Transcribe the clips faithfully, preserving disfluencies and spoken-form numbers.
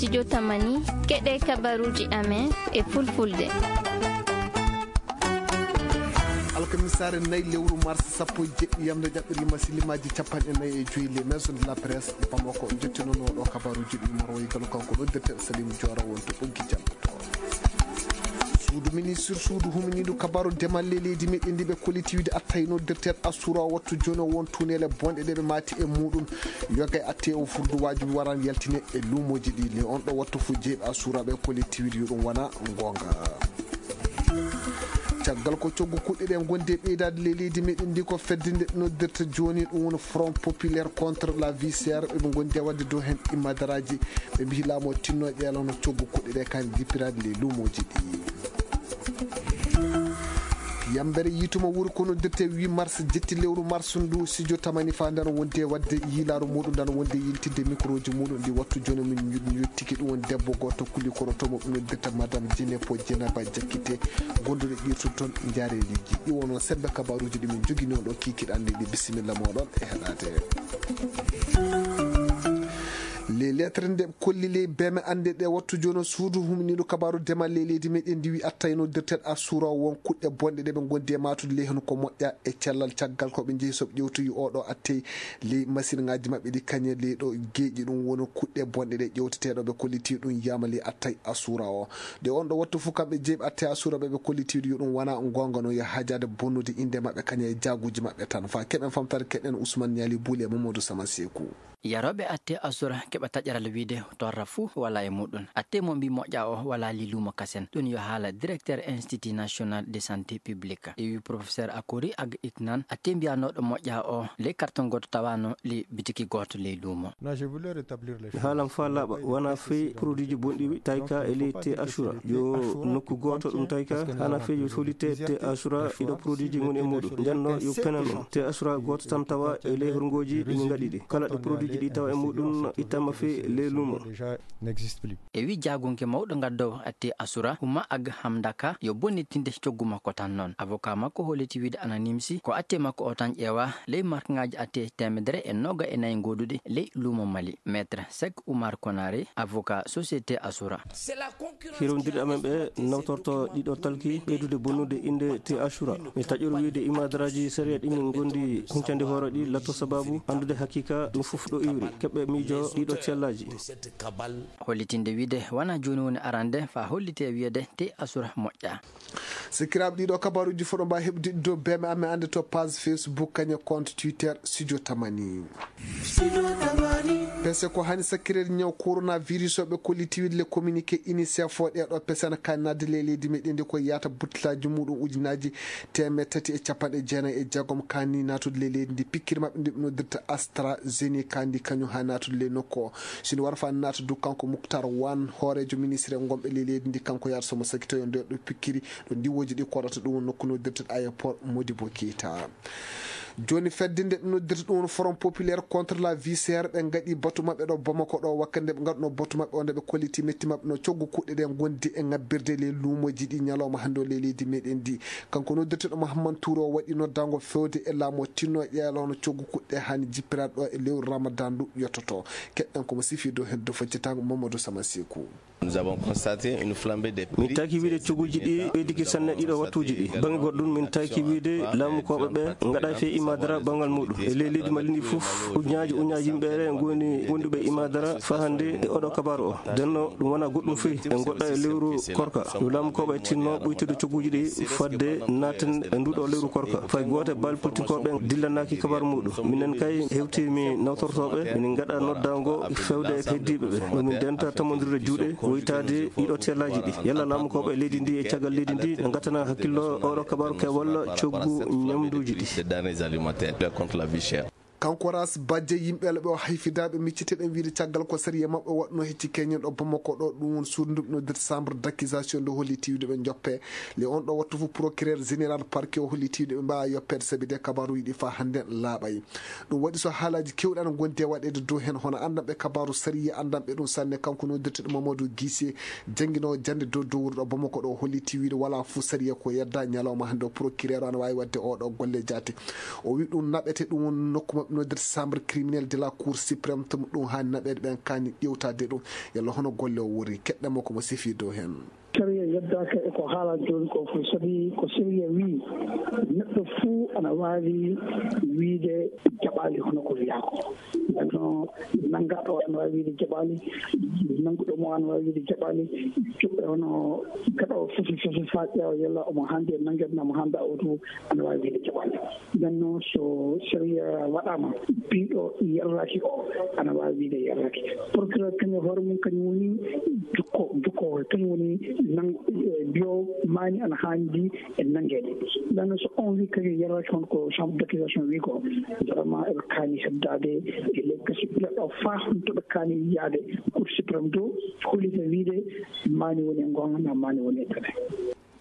Studio Tamani, keɗe kabaruuji amen e fulfulde. Alkamisaare nayi lewru mars sappo e jeɗɗi, yamde ƴaɓɓirli masi limaaji capanɗe nayi e joyi, les maisons de la presse Bamako, njettinoono ɗo kabaruuji ɗi marwoyi galo kanko noddirteɗo Salim Diora wonto ɓoggi jam. Suudu ministre, suudu huminiiɗo kabaru demal ley leydi meɗen ndi ɓe kollitiwide attay noddirteɗo Asura wattu jooni o won tuneele bonɗe ɗe ɓe maati e muɗum. Yoga e atte o furdu wajibi waran yaltine e luumoji ɗi. Ni on ɗo wattu fu jeeɓe Asura ɓe kollitiwide yo ɗum wana gonga. Caggal ko coggu kuɗɗe ɗe gonde ɓeydaade ley leydi meɗen ndi ko feddinde noddirta jooni ɗum woni Front Populaire contre la vie chère, ɓe ɓe gondi e wadde dow hen imadaraji. Ɓe mbiyi laamu o tinno e ƴeelano coggu kuɗɗe ɗe kan jippiraade ley luumoji ɗi. Yambere yituma wuri ko noddirte huit mars jetti lewru mars ndu, studio Tamani fa ndano wonde wadde yiilaaru muɗum, ndano wonde yiltidde microji muɗum ndi wattu jooni min ñu-, yottiki ɗum won debbo gooto kuli koroto mo ɓe noddirta madame Djinepo Djenaba Diakité, gonduɗo qirtude toon Njaareeliji. Ɗi wono sembe kabaruji ɗi min jogini on ɗo kikiɗe anndi ɗi. Bisimilla moɗon e heɗade. Les lettres nde kolli ley beme annde ɗe wattu jooni o suudu humniiɗo kabaru demal ley leydi meɗen ndi wi attayno dirteɗo Asura won kuɗɗe bonɗe ɗe ɓe gondi e matude ley heen ko moƴƴa e cellal caggal ko ɓe njehi soɓe ƴewtoyi oɗo attey ley machine ngaji maɓɓe ɗi kañe ley ɗo geeƴi ɗum woni kuɗɗe bonɗe ɗe ƴewteteɗo ɓe kolliti ɗum yiyama ley attay Asura o. Nde on ɗo wattu fof kamɓe jeeɓi attay Asura ɓe ɓe kolliti yo ɗum wona gonga no yo hajade bonnude inde maɓɓe kañe e jaguji maɓɓe tan. Fa keɓen famtare keɗen Ousmane Niali Bouli e Mamadou Sama Sekou. Yarooɓe atte Asura keɓa taƴaral wiide torra fuu wala e muɗum. Atte mo mbi moƴƴa o wala li luumo kasen. Ɗum yo haala directeur Institut National de Santé Publique. E wi professeur Akori Ag Iknan, atte mbiyanooɗo moƴƴa o ley karton gooto tawano li bitiki gooto ley luumo. Mi haalan faa laaɓa, wona fey produitji bonɗi tayka e ley te Asura. Yo nokku gooto ɗum tayka, hana fey yo solite te Asura, ɗiɗo produitji ngoni e muɗum. Nden no yo penan ɗum. Te Asura gooto tan tawa e ley horngooji ɗi min ngaɗi ɗi. Kala ɗo produitji ɗi tawa e muɗum ittama fey ley luumo. E wi jaagunke mawɗo ngaddowo atte Asura, Huma Ag Hamdaka, yo bonnitinde coggu makko tan noon. Avocat makko holliti wiide ana nimsi ko atte makko o tan ƴeewa ley markŋaaji atte teemedere e nooga e nayi gooduɗi ley luumo Mali. Maître Sek Oumar Konaré, avocat société Asura. Hirondirɗe amen ɓe nawtorto ɗiɗo talki ɓeydude bonnude innde te Asura. Mi taƴoro wiide imadaraaji sariya ɗi min ngondi huncande hoore ɗi latto sababu anndude hakiika ɗum fof ɗo iwri. Keɓɓe miijo ɗiɗo cellaaji. Hollitinde wiide wona jooni woni arande fa hollite wiyeede te Asura moƴƴa. Sikiraaɓe, ɗiɗo kabaruuji fof ɗo mbaawi heɓde dow beme amen annde to page Facebook kañe compte Twitter Studio Tamani. Pese ko hani sakkireede ñaw coronavirus o ɓe kolliti wiide le communiqué UNICEF o ɗeɗo pese ana kaani naatde ley leydi meɗen ndi ko yaata buttilaaji muɗum ujunaaji teemeɗɗe tati e capanɗe jeenayi e jeegom kaani naatude ley leydi ndi pikkiri maɓɓe ndi ɓe noddirta AstraZeneca ndi kañum ha naatude ley nokku o. Sini wara fa naata du kanko Muktar Wan hooreejo ministre gonɓe ley leydi ndi kanko yaata somo sakitoyo nder ɗo pikkiri ɗo ndiwooji ɗi koɗata ɗum nokku noddirta aéroport Modibo Keita. Jooni fedde nde ɓe noddirta ɗum woni Front Populaire contre la vie chère ɓe ngaɗi batu maɓɓe ɗo Bamako ɗo wakkati nde ɓe ngaɗuno batu maɓɓe o nde ɓe kolliti metti maɓɓe no coggu kuɗɗe ɗe gondi e ngabbirde ley luumoji ɗi ñalawma hannde o ley leydi meɗen ndi. Kanko noddirteɗo Mahamman Touré o waɗi noddango fewde e laamu o tinno ƴeelono coggu kuɗɗe hani jippiraɗo e lewru Ramadan ndu yottoto. Keɗɗen komo sifi dow hen dow faccitango Mamadou Sama Sekou. Nous avons constaté une flambée des prix. Min taki wiide coguuji ɗi ɓeydike sanne ɗiɗo wattuuji ɗi. Bannge goɗɗo ɗum, min taki wiide laamukooɓe ɓe ngaɗa fee imaadara banngal muɗum. E ley leydi Mali ndi fof, ujunnaaji ujunnaaji yimɓe ngoni wonduɓe imaadara faa hannde e oɗo kabaaru o. Denno ɗum wona goɗɗum fii, en goɗɗa e lewru korka. Yo laamukooɓe tinno ɓuytude coguuji ɗi fadde naaten e nduɗo lewru korka. Fay gooto e baal politikooɓe dillanaaki kabaaru muɗum. Minen kay hewtii mi nawtortooɓe, minen ngaɗa noddaango fewde e heddiiɓe ɓe. Yo min ndenta tammondirde juuɗe, woytaade ɗiɗo tellaaji ɗi. Yalla laamukooɓe leydi ndi e caggal leydi ndi, ɓe ngattana hakkillo oɗo kabaaru keewal coggu ñamduuji ɗi. Des denrées alimentaires contre la vie chère. Kanko Ras Badje, yimɓe laɓe o hayfidaaɓe micciteɗen wiide caggal ko sariya maɓɓe waɗno hecci keñen ɗo Bamako ɗo, ɗum woni suudu ndu ɓe noddirta chambre d'accusation ndu holli tiwde ɓe joppe. Le on ɗo wattu fof procureur général parquet o holli tiwde ɓe mbaawa yoppeede sabi de kabaruuji ɗi faa hannde laaɓay. Ɗum waɗi so haalaaji keewɗi ana ngondi e waɗeede dow heen, hono anndanɓe kabaaru sariya, anndanɓe ɗum sanne, kanko noddirteɗo Mamadou Guissé, jannginoowo jannde dow dowruɗo Bamako ɗo, hollitii wiide walaa fof sariya ko yedda ñalawma hannde o procureur ana waawi waɗde oɗo golle jaate. O wi ɗum naɓete, ɗum woni nokku maɓɓe Nodir chambre criminel de la cour suprême, to ɗum haani naɓeede ɓen kaani ƴewtaade ɗum, yalla hono golle o wori. Keɗɗen mo ko mo sifi dow heen. Sariya yeddaaka e ko haalaa jooni ko fof, sabi ko sariya wii neɗɗo fuu ana waawi wiide jaɓaali hono ko wiyaa ko. Ndeno nanngaaɗo ana waawi wiide jaɓaali, nannguɗo mo ana waawi wiide jaɓaali, cuɓɓe hono kaɗo fesi fesi faa ƴeewa yalla omo haandi e nanngeede, omo haanda o tu, ana waawi wiide jaɓaali. Ndeno so sariya waɗaama, biiɗo yerraaki o, ana waawi wiide yerraaki. Procureur kañum hoore mum, kañum woni jokko, jokko, kañum woni nang-, eh, biyo maani ana haandi e nanngeede. Ndeno so on wii kañum yerraaki, hono ko chambre d'accusation wii ko, vraiment eɓe kaani heddaade e ley kaso ɓileɗo faa honto ɓe kaani yaade Cour suprême to, hollita wiide maani woni e ngoonga, naa maani woni e pene.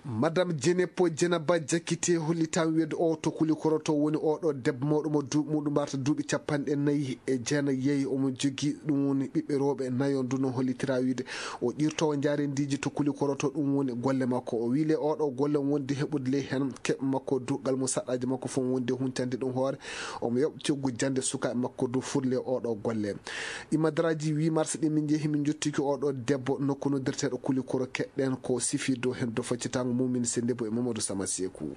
Madame Dienepo Djenaba Diakité hollitaa wiyeede o to Kulikoro to woni oɗo debbo mawɗo mo duuɓi muɗum mbarta duuɓi capanɗe nayi e jeenayi yeeyi. Omo jogii ɗum woni ɓiɓɓe rewɓe nayo. Ndu no hollitiraa wiyeede o ƴirtoowo njaareendiiji to Kulikoro to, ɗum woni golle makko. O wii le oɗo golle wonde heɓude le heen keɓe makko dugal mo saɗɗaaji makko fof wonde huncande ɗum hoore. Omo yoɓ coggu jannde sukaaɓe makko du furle oɗo golle. Imadaraaji huit mars ɗi min njehi min njottiki oɗo debbo nokku noddirteeɗo Kulikoro, keɗɗen ko sifi dow heen dow faccitaango mum min sennde bo e Mamadou Sama Seeku.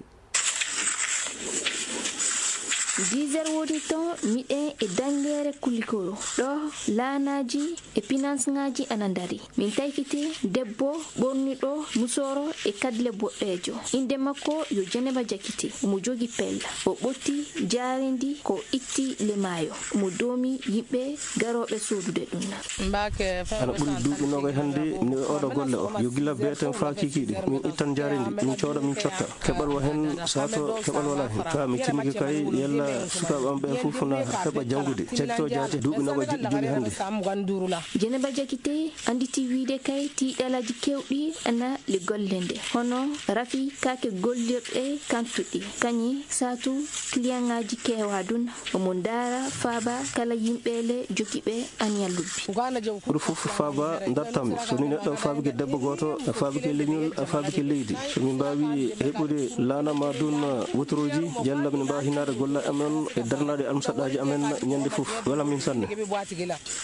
Dix heures woni ton miɗen e danngeere Kulikoro. Ɗo laanaaji e pinansŋaaji ana ndari. Min taykiti debbo ɓorniɗo musooro e kadle boɗɗeejo. Innde makko yo Jeneba Jakite. Omo jogi pella. O ɓotti jaareendi ko itti le maayo. Omo doomi yimɓe garooɓe soodude ɗum. Ana ɓuri duuɓi noogay hannde mi oɗo golle o. Yo gila beeten faa kiikiiɗe. Min ittan jaareendi, min cooda, min cotta. Keɓal wa heen, sato keɓal walaa heen. Ka mi timmike kay, yalla sukaaɓe am ɓeen fof na heɓa janngude. Jakito Jaate, duuɓi noogay joɗɗi jooni hannde. Jeneba Jakite annditi wiide kay tiiɗalaaji keewɗi ana le golle nde. Hono rafi kaake gollirɗe kantuɗi. Kañi saatu kiliyaŋaaji keewaa dun. Omo ndaara faaba kala yimɓe le jogiiɓe aniya lobbi. Ɓuri fof faaba ndartammi. So ni neɗɗo faabike debbo gooto, a faabike leñol, a faabike leydi. So min mbaawi heɓude laana ma dun wotorooji, jalla min mbaawa hinaade golle amen e darnaade almusaɗaaji amen ñande fof. Wela min sanne.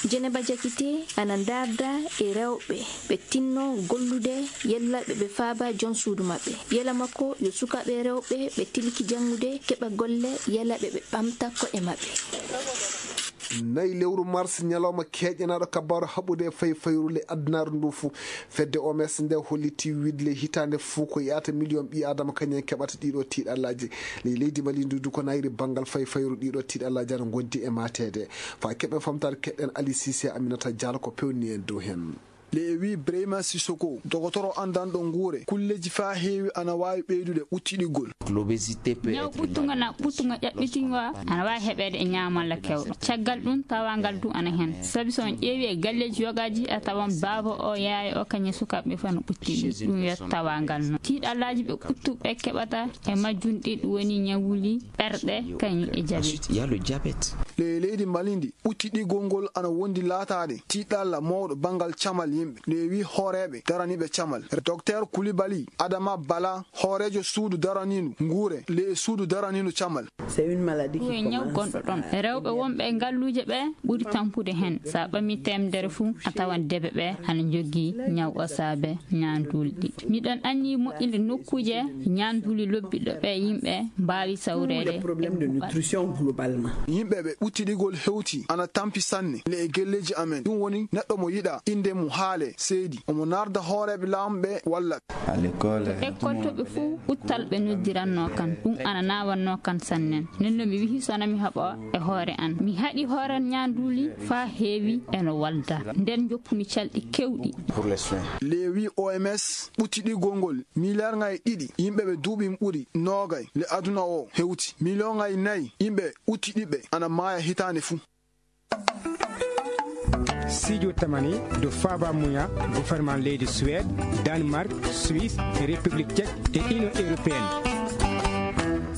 Jeneba Jakite ana ndaarda e rewɓe ɓe tinno gollude yalla ɓe ɓe faaba jon suudu maɓɓe. Yela makko yo sukaaɓe rewɓe ɓe tilki janngude keɓa golle yala ɓe ɓe ɓamta ko'e maɓɓe. Nayi lewru mars, ñalawma keeƴanaaɗo kabaaru haɓude e fayfayru ley adunaaru ndu fuu. Fedde O M S nde holliti wiide le hitaande fuu ko yahata miliyoŋ ɓii aadama kañum en keɓata ɗiɗo tiiɗallaaji. Ley leydi Mali ndu du ko nayri banngal fayfayru ɗiɗo tiiɗallaaji ana ngondi e mateede. Faa keɓen famtaade keɗɗen Ali Sise, Aminata Diallo ko pewni en dow heen. Le e wii Brahima Sissoko, dogotoro anndanɗo nguure, kulleeji faa heewi ana waawi ɓeydude ɓuttiɗigol. Ñaw ɓuttungo na ɓuttungo ƴaɓɓitingo ana waawi heɓeede e ñaamalla kewɗo. Caggal ɗum, tawaangal du ana heen. Sabi so on ƴeewi e galleeji yogaaji, a tawan baaba o, yaaya o, kañum e sukaaɓe fof no ɓuttiɗi. Ɗum yo tawaangal no. Tiiɗallaaji ɓe ɓuttuɓe keɓata e majjum ɗi, ɗum woni ñawuli ɓerɗe, kañum e jabi. Le e leydi Mali ndi, ɓuttiɗigol ngol ana wondi laataade tiiɗalla mawɗo banngal camal yimɓe. Le e wii hooreeɓe daraniiɓe camal. Docteur Koulibaly Adama Bala, hooreejo suudu daraniindu nguure, le e suudu daraniindu camal. Ɗum e ñaw gonɗo ɗon. Rewɓe wonɓe e ngalluuje ɓe ɓuri tampude heen. So a ɓamii teemedere fuu, a tawan debe ɓe ana njogii ñaw o saabe ñaanduuli ɗiɗi. Miɗen anniyi moƴƴinde nokkuuje ñaanduuli lobbiɗo ɓe yimɓe mbaawi sawreede. Yimɓe ɓe ɓuttiɗigol hewti ana tampi sanne le e galleeji amen. Ɗum woni neɗɗo mo yiɗaa innde mum haale seedi. Omo naarda hooreeɓe laamɓe walla ɓe. Lekkol to ɓe fuu, ɓuttal ɓe noddirannoo kan. Ɗum ana naawannoo kan sannen. Nden no mi wihi so na mi haɓa e hoore an. Mi haɗi hooran ñaanduuli faa heewi eno walda. Nden njoppumi calɗi keewɗi. Le wii O M S ɓuttiɗigol ngol, miliyaarŋaaji ɗiɗi yimɓe ɓe duuɓi ɓuri noogay le aduna o hewti. Miliyoŋaaji nayi yimɓe ɓuttiɗiɓe ana maaya hitaande fuu. Sijo tamani do faba muya gouvernement leydi Suède, Danemark, Suisse, République Tchèque et Union Européenne.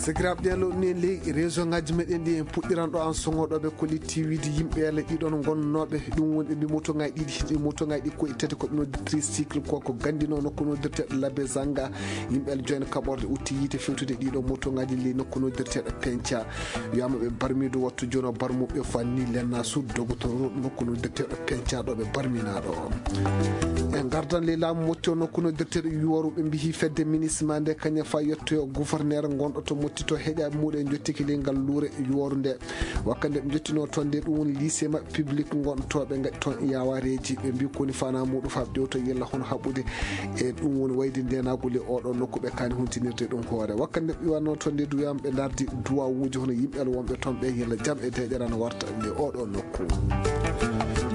Sakiraaɓe, ɗen lowɗi en ley région ngaji meɗen ɗi, en puɗɗiran ɗo an sogoɗoɓe collectivité yimɓe ele ɗiɗon gonnooɓe. Ɗum woni ɓe mbi motoŋaaji ɗiɗi, ɗi motoŋaaji ɗi koye tati ko ɓe noddi tricycle, ko ko gandino nokku noddirteɗo Labe Zanga. Yimɓe ele joyen kaɓorde utti yiite fewtude ɗiɗo motoŋaaji ley nokku noddirteɗo Penca. Wiyama ɓe barmido wattu jono barmuɓe fanni lenna sud dogotoro nokku noddirteɗo Penca ɗo ɓe barminaɗo. En gardan ley laamu motti o nokku noddirteɗo Yuwaru, ɓe mbihi fedde minisma nde kañum fa yettoyo gouverneur gonɗo to motti to heƴa muɗum jottiki ley ngal luure Yuwaru nde. Wakka nde ɓe jottino toon nde, ɗum woni lycée maɓɓe public gonɗo to, ɓe ngaɗi toon yawareeji. Ɓe mbi koni fana muɗum fa ɓe ƴewto yella hono haɓude e ɗum woni wayde ndenagu ley oɗo nokku ɓe kani huntinirde ɗum hoore. Wakka nde ɓe wanno toon nde duyam ɓe dardi duwawuji hono yimɓe wonɓe toon ɓe yella jam e deƴere na warta ley oɗo nokku.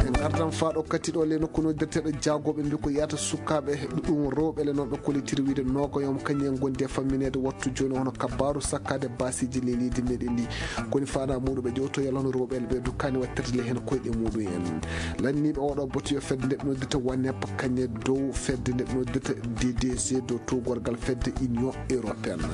En gardan fa ɗo kati ɗo ley nokku noddirteɗo jaagoɓe mbi ko yata sukaɓe ɗum rewɓe le noon ɓe kollitir wiide nogoyom kañum en gondi e famminede wattu joni hono kabaru sakkade basiji ley leydi meɗen ndi. Koni fana muɗum ɓe ƴewto yalla hono rewɓe le ɓe dukkani wattirde le hen koyɗe muɗum en. Lanniɓe oɗo boto yo fedde nde ɓe noddita wanep kañe dow fedde nde ɓe noddita D D C dow towgorgal fedde Union Européenne.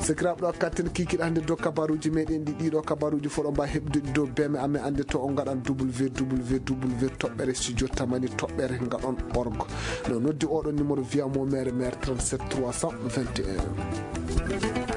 Sakiraaɓe, ɗo katten kikiɗe hannde dow kabaruuji meɗen ɗi, ɗiɗo kabaruuji fof ɗo mbawi heɓde ɗi dow beme amen, annde to on ngaɗan W W W toɓɓere studio tamani toɓɓere ngaɗon org. No noddi oɗo numéro via mo mere mere trente-sept trois cent vingt et un.